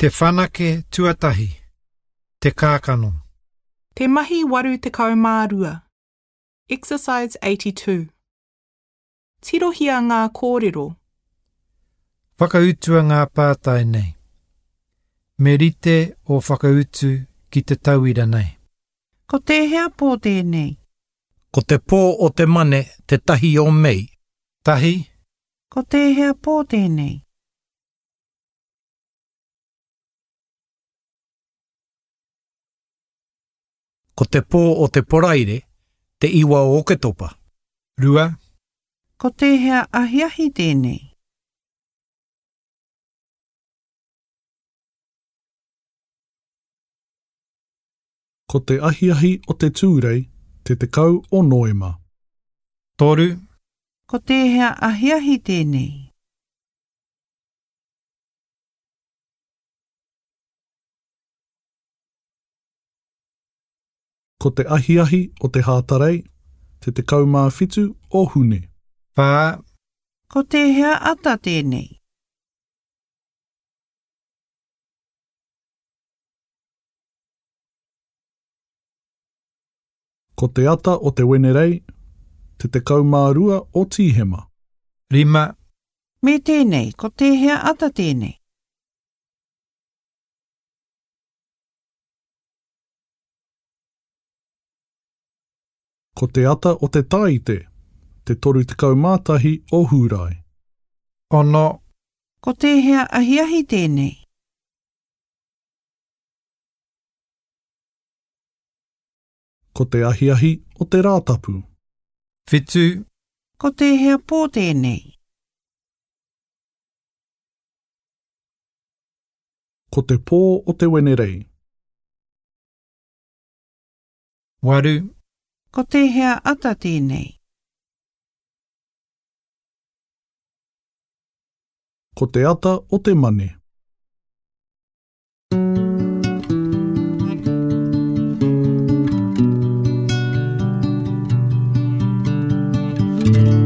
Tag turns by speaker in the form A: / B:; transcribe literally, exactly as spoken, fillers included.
A: Te whanake tuatahi. Te kākano.
B: Te mahi waru tekau mā rua. Exercise eighty-two. Tirohia ngā kōrero.
A: Whakautua ngā pātai nei. Me rite o whakautu ki te tauira nei.
C: Ko tēhea pō tēnei?
D: Ko te pō o te mane te tahi o Mei.
A: Tahi.
C: Ko tēhea pō tēnei?
D: Ko te pō o te Poraire, te iwa o Oketopa.
A: Rua.
C: Ko tēhea ahiahi tēnei?
E: Ko te ahiahi o te Tūrei, te tekau o Noema.
A: Toru.
C: Ko tēhea ahiahi tēnei?
E: Ko te ahiahi o te Hātarei, te tekau mā whitu o Hune.
A: Whā.
C: Ko tēhea ata tēnei?
E: Ko te ata o te Wenerei, te tekau mā rua o Tīhema.
A: Rima.
C: Me tēnei, ko tēhea ata tēnei?
E: Ko te ata o te Tāite, te toru tekau mā tahi o Hūrae.
A: Ono.
C: Ko tēhea ahiahi tēnei?
E: Ko te ahiahi o te Rātapu.
A: Whitu.
C: Ko tēhea pō tēnei?
E: Ko te pō o te Wenerei.
A: Waru.
C: Ko tēhea ata tēnei?
E: Ko te ata o te Mane.
A: Thank you.